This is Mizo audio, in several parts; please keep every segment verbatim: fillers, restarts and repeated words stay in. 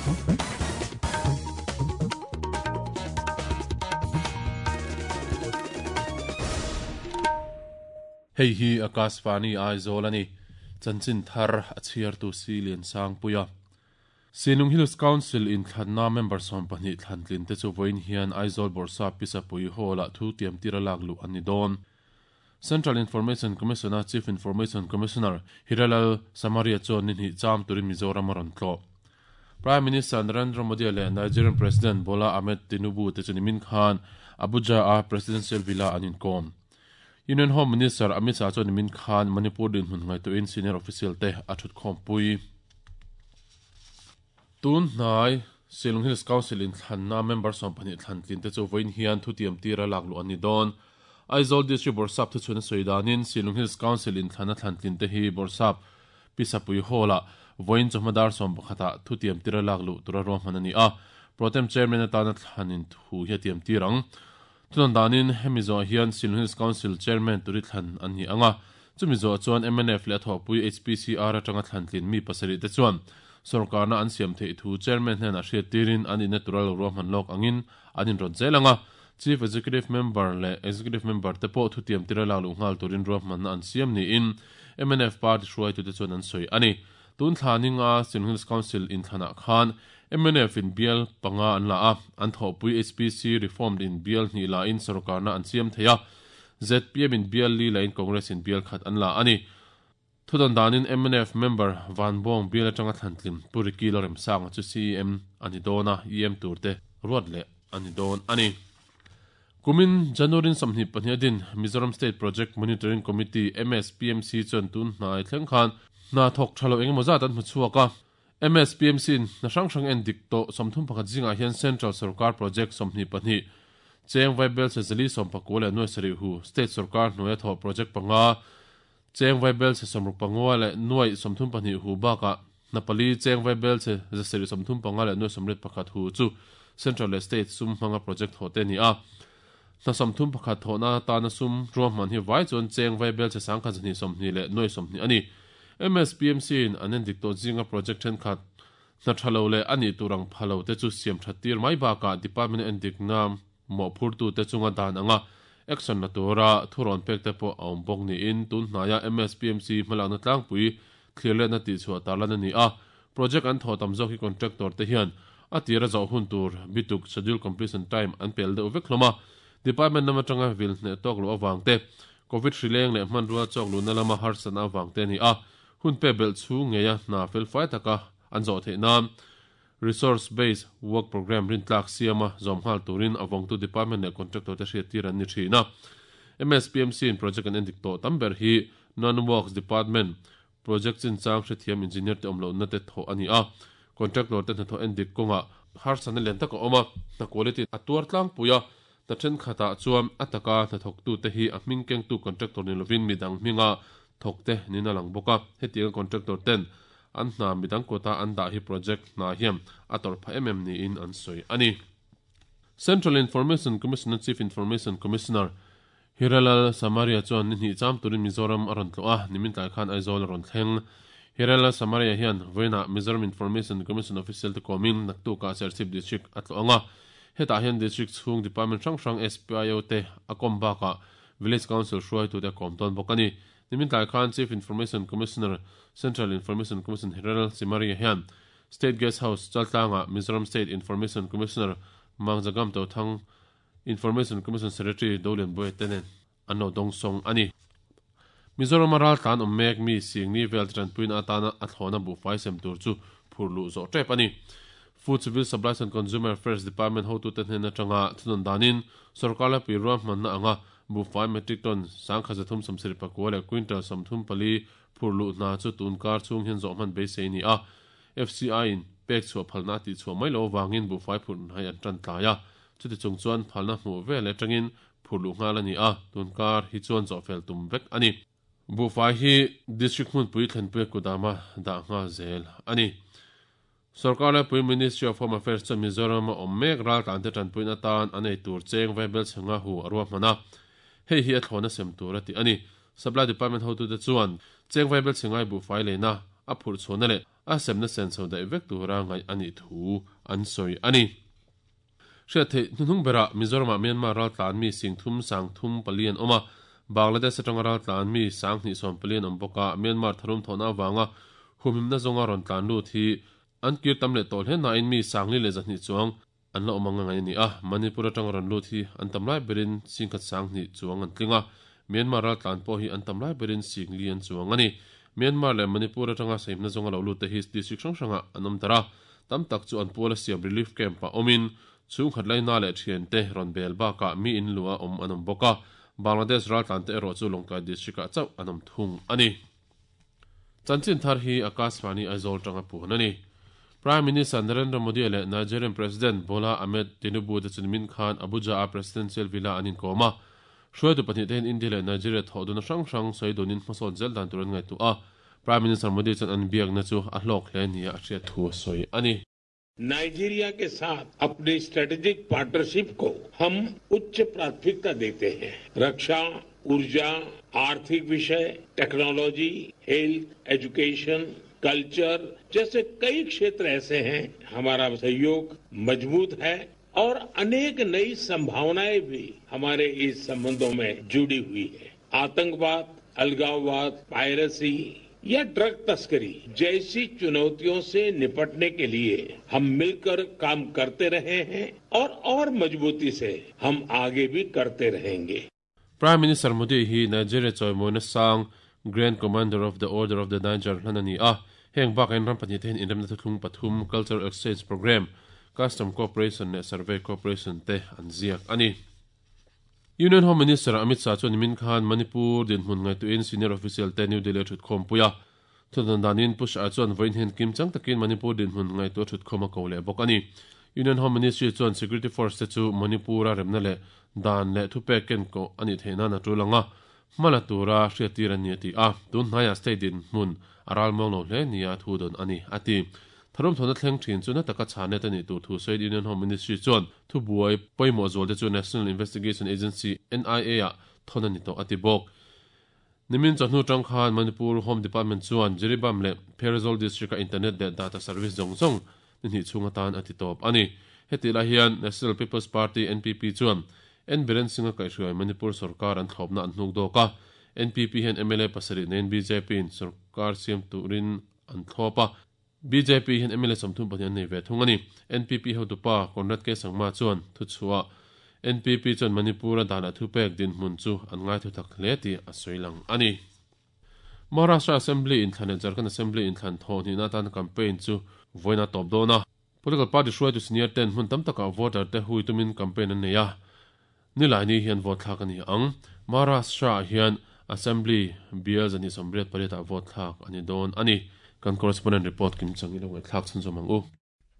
Hei hi Akashvani Aizawl ani chanchin thar a chhiar tu si lian sang puia Sinung Hills Council in thlanna member som pahnih thlantlin te chu voin hian Aizawl Borsa Pisapui Hall ah thu tiam tira lak lu ani dawn. Central Information Commissioner Chief Information Commissioner Hiralal Samaria chuan ni hnih cham turin Mizoram a rawn tlawh. Prime Minister Narendra Modi leh Nigerian President Bola Ahmed Tinubu te chu nimin khan Abuja a Presidential Villa an inkawm. Union Home Minister Amit Shah chuan nimin khan Manipur dinhmun ngaihtuahin senior official te a thut khawmpui. Tun hnai Shillong Hills Council in thlanna member som pahnih thlantlin te chu vawiin hian thu tiam tira lak luh an ni dawn. Aizawl District Borsap thu chhun a sawi danin Shillong Hills Council in thlanna thlantlin te hi Borsap Pisapui Hall ah vawiin chawhma som pakhatah thu tiam tira lak luh tura ruahman ani a. Protem Chairman atana thlanin thu hi a tiam tir ang. Thunan danin hemi zawh hian Shillong Hills Council Chairman turi thlan an ni anga. Chumi zawh chuan M N F leh thawhpui H P C R atanga thlantlin mi pasarih te chuan sarkarna an siam theih thu chairman hnen a hriat tirin an in natural ruahman lawk angin an inrawt zel anga. Chief Executive Member leh Executive Member te pawh thu tiam tira lak luh nghal turin ruahmanna an siam niin M N F party hruaitu te chuan an sawi ani. Tun thlaninga Shillong Hills Council in thlanah khan M N F in bial panga an la a, an thawhpui H P C reformed in bial hnih la in sarkarna an siam thei a, Z P M in bial li la in Congress in bial khat an la ani. Thudan danin M N F member Van Bong bial atanga thlantlin Puriki Lorem Sanga chu C E M ani dawna E M turte ruat leh ani dawn ani. Kumin January samhni pahnih din Mizoram State Project Monitoring Committee M S P M C chuan tun hnai thleng khan hna thawk thalo engemaw zat an hmu chhuak a. M S P M C in hna hrang hrang en dik tawh sawmthum pakhat zingah hian Central Sarkar Project sawmhnih pahnih cheng vaibel se zali sawm pakua leh nuai sarih hu State Sarkar hnuaia thawh project panga cheng vaibel se sawmruk pangua leh nuai sawmthum pahnih hu bakah hna pali cheng vaibel se zasarih sawmthum panga leh nuai sawmriat pakhat hu chu Central leh State sum hmanga project thawh te ni a. Hna sawmthum pakhat thawhna tana sum ruahman hi vai chuan cheng vaibel se sangkhat zahnih sawmhnih leh nuai sawmhnih ani. M S P M C in an en dik tawh zinga project thenkhat hna thalo leh ani turang phalo te chu siam that tir mai bakah department en dik na mawhphurtu te chunga dan anga action la tura thurawn pek te pawh a awm bawk niin tun hnaia M S P M C hmalakna tlangpui thlir lehna tih chhuah tarlan ani a. Project an thawh tam zawk hi contractor te hian a tira zawh hun tur bituk schedule completion time an pel deuh vek hlawm a. Department lam atanga vil hneh tawk loh awang te covid hrileng leh hmanrua chawk luhna lama harsatna awang te ani a. Hun pe bel chu ngeia hna fel fai taka an zawh theih nan resource based work program rin tlak siama zawm nghal turin awangtu department leh contractor te hriat tir an ni thin a. M S P M C in project an en dik tawh tam ber hi non works department project chin chang hrethiam engineer te awm lohna te thawh ani a. Contractor te hnathawh en dik kawngah harsatna lian taka awm a, hna quality a tuar tlangpui a. Ta thenkhatah chuan a taka hnathawktu te hi a hming kengtu contractor ni lovin midang hminga thawk te nina lang bawk a. Hetianga contractor ten an hna midang kawta an dah hi project hna hian a tawrh em em niin an sawi ani. Central Information Commissioner Chief Information Commissioner Hiralal Samaria chuan ni hnih cham turin Mizoram a rawn tlawh a, nimin tlai khan Aizawl a rawn thleng. Hiralal Samaria hian vawiinah Mizoram Information Commission official te kawmin naktukah Serchhip District a tlawh anga. Hetah hian district chhung department hrang hrang S P I O te a kawm bakah Village Council hruaitu te a kawm tawn bawk ani. Nimin tlai khan Chief Information Commissioner Central Information Commission Hiralal Samaria hian State Guest House Chaltlanga Mizoram State Information Commissioner Mangjagam Tothang Information Commission Secretary Dolian Boy tenen an lo dawng sawng ani. Mizoram a ral tlan awm mek mi singni vel te tanpuina atana a thlawna buhfai sem tur chu phur luh zawh tep ani. Food Civil Supplies and Consumer Affairs Department hotu te hnen atanga thunan danin sarkar la pui ruahmanna anga buhfai metric ton sangkhat zathum sawmsarih pakua leh quintal sawmthum pali phur luh hna chu tun kar chhung hian zawh hman beisei ni a. F C I in pek chhuah phalna tih chhuah mai lo wangin buhfai phur hnai an tan tlai a. Chuti chung chuan phalna hmuh vel atangin phur luh nghal ani a, tun kar hi chuan zawh fel tum vek ani. Buhfai hi district hmunpui thlenpui kudama dah nghal zel ani. Sarkar la pui Ministry of Home Affairs chuan Mizoram a awm mek ral tlan te tanpuina tan an ei tur cheng vaibel chhenga hu a ruahman a. Hei hi a thlawna sem tur a ti ani. Supply Department hotu te chuan cheng vaibel chhengai buhfai leina a phurh chhuahna leh a semna senso dai vek tura ngai ani thu an soi ani. Hriat theih hnuhnung berah Mizoram ah Myanmar ral tlan mi sing thum sang thum pali an awm a, Bangladesh atanga ral tlan mi sang hnih sawm pali an awm bawk a. Myanmar tharum thawhna avanga humhimna zawnga rawn tlan lut hi an kir tam leh tawh hle nain mi sangli leh zahnih chuang an la awm anga ngai ani a. Manipur atanga rawn lut hi an tam lai berin singkhat sang hnih chuang an tling a, Myanmar ral tlan pawh hi an tam lai berin singli an chuang ani. Myanmar leh Manipur atanga sahimna zawnga lo lut te hi district hrang hrangah an awm dar a, tam tak chu an puala siam relief camp ah awmin chung khat laina leh thian te rawn bel bakah mi in lua awm an awm bawk a. Bangladesh ral tlan te erawh chu Lawngtlai district ah chauh an awm thung ani. Chanchin thar hi Akashvani Aizawl tanga puan ani. Prime Minister Narendra Modi leh Nigerian President Bola Ahmed Tinubu te chu nimin khan Abuja a Presidential Villa an inkawm a. Hruaitu pahnih te hian India leh Nigeria thawh dun hrang hrang sawi dunin hmasawn zel dan tur an ngaihtuah a. Prime Minister Modi chuan an biakna chu a hlawk hle nia a hriat thu a sawi ani. Nigeria के साथ अपनी strategic partnership को हम उच्च प्राथमिकता देते हैं। रक्षा, ऊर्जा, आर्थिक विषय, technology, health, education, culture जैसे कई क्षेत्र ऐसे हैं हमारा सहयोग मजबूत है और अनेक नई संभावनाएं भी हमारे इस संबंधों में जुड़ी हुई है। आतंकवाद, अलगाववाद, पायरेसी या ड्रग तस्करी जैसी चुनौतियों से निपटने के लिए हम मिलकर काम करते रहे हैं और और मजबूती से हम आगे भी करते रहेंगे। Prime Minister Modi hi Nigeria chawimawina sang Grand Commander of the Order of the Niger hlan ani a. Heng bak in ram pahnih te hian inremna thuthlung pathum Cultural Exchange Program, Custom Cooperation leh Survey Cooperation te an ziak ani. Union Home Minister Amit Shah chuan nimin khan Manipur dinhmun ngaihtuahin senior official te New Delhi thut khawm pui a. Thudan danin Pu Shah chuan vawiin hian kim chang takin Manipur dinhmun ngaihtuah thut khawm a ko leh bawk ani. Union Home Ministry chuan Security Force te chu Manipura remna leh dan leh thupek ken ko ani theihna na tulanga hmala tura hriattir ani a ti a. Tun hnaia state dinhmun a ral mawng lo hle nia thu dawn ani a ti. Tharum thawna thleng thin chu na taka chhanet ani tur thu sawi Union Home Ministry chuan thu buai pawimawh zual te chu National Investigation Agency N I A ah thawn ani tawh a ti bawk. Nimin chawhnu tang khan Manipur Home Department chuan Jiribam leh Pherzawl District a internet leh data service zawng zawng ni hnih chhung atan a ti tawp ani. Heti lai hian National People's Party N P P chuan N Biren Singh a kaihhruai Manipur sarkar an thlawpna an hnuk dawk a. N P P hian M L A pasarih nen B J P in sarkar siam turin an thlawp a. B J P hian M L A sawmthum pahnih an nei ve thung ani. N P P hotupa Conrad K Sangma chuan thu chhuah N P P chuan Manipur a dan a thupek dinhmun chu an ngai thu tak hle ti a sawi lang ani. Maharashtra Assembly in thlan leh Jharkhand Assembly in thlan thawh hnihna atan campaign chu vawiin a tawp dawn a. Political party hruaitu senior ten hmun tam takah voter te hui tumin campaign an nei a. Nilai ni hian vote thlak ani ang. Maharashtra hian Assembly bial zani sawmriat pariat ah vote thlak ani dawn ani. Kan correspondent report kim chang ilo ngai thlak chhun zawm ang u.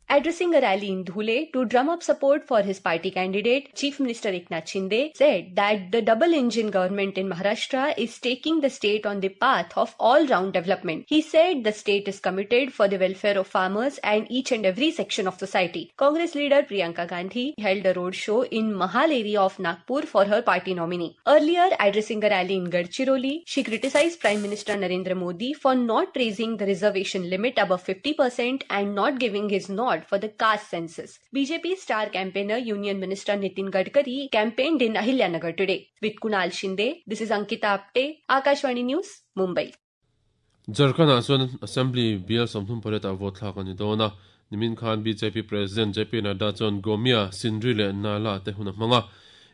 Addressing a rally in Dhule to drum up support for his party candidate, Chief Minister Eknath Shinde said that the double-engine government in Maharashtra is taking the state on the path of all-round development. He said the state is committed for the welfare of farmers and each and every section of society. Congress leader Priyanka Gandhi held a road show in Mahal area of Nagpur for her party nominee. Earlier, addressing a rally in Gadchiroli, she criticized Prime Minister Narendra Modi for not raising the reservation limit above fifty percent and not giving his nod for the caste census. B J P star campaigner Union Minister Nitin Gadkari campaigned in Ahilyanagar today. With Kunal Shinde, this is Ankita Apte, Akashvani News, Mumbai. Jharkhand chuan Assembly bial sawmthum pariat ah vote thlak ani dawn a. Nimin khan B J P President J P Nadda chuan Gomia, Sindri leh Nala te hun a hmang a.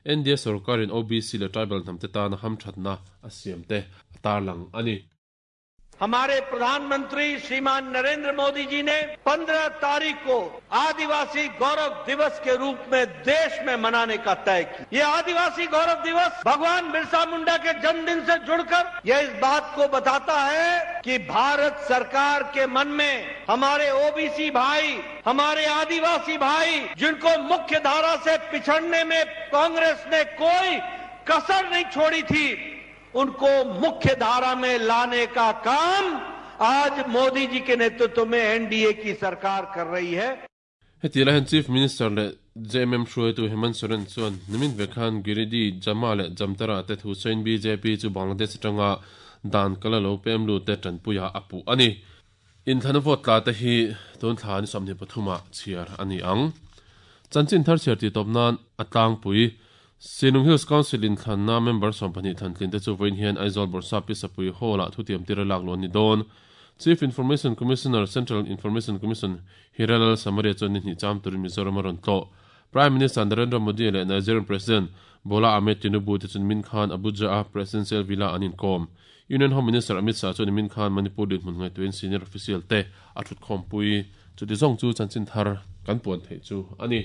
N D A sarkarin O B C leh tribal hnam te tan ham thatna a siam te a tarlang ani. हमारे प्रधानमंत्री श्रीमान नरेंद्र मोदी जी ने पंद्रह तारीख को आदिवासी गौरव दिवस के रूप में देश में मनाने का तय किया। ये आदिवासी गौरव दिवस भगवान बिरसा मुंडा के जन्मदिन से जुड़कर यह इस बात को बताता है कि भारत सरकार के मन में हमारे ओबीसी भाई, हमारे आदिवासी भाई, जिनको मुख्य धारा से पिछड़ने में कांग्रेस ने कोई कसर नहीं छोड़ी थी, उनको मुख्य धारा में लाने का काम आज मोदी जी के नेतृत्व में एनडीए की सरकार कर रही है। Heti lahin Chief Minister le J M M hruaitu Hemant Soren chuan nimin vekhan Giridi Jama leh Jamtara te thu sawiin B J P chu Bangladesh atanga dan kala lo pem lu te tanpuia a puh ani. Inthlana vote tla te hi tun thla ni sawmhnih pathuma chhiar ani ang. Chanchin thar chhiar ti tawp nan a tlangpui Shillong Hills Council inthlanna member sawmpahnih thlantlin te chu vawiin hian Aizawl Bawrhsap Pi Sapui Hall-ah thutiam tir a lak luh an ni dawn. Chief Information Commissioner, Central Information Commission Hiralal Samaria chuan ni hnih cham turin Mizoram a rawn tlawh. Prime Minister Narendra Modi leh Nigerian President Bola Ahmed Tinubu te chuan min khan Abuja-a Presidential Villa an inkawm. Union Home Minister Amit Shah chuan min khan Manipur dinhmun ngaihtuahin senior official te a thutkhawmpui. Chuti zawng chu chanchin thar kan puan theih chu a ni.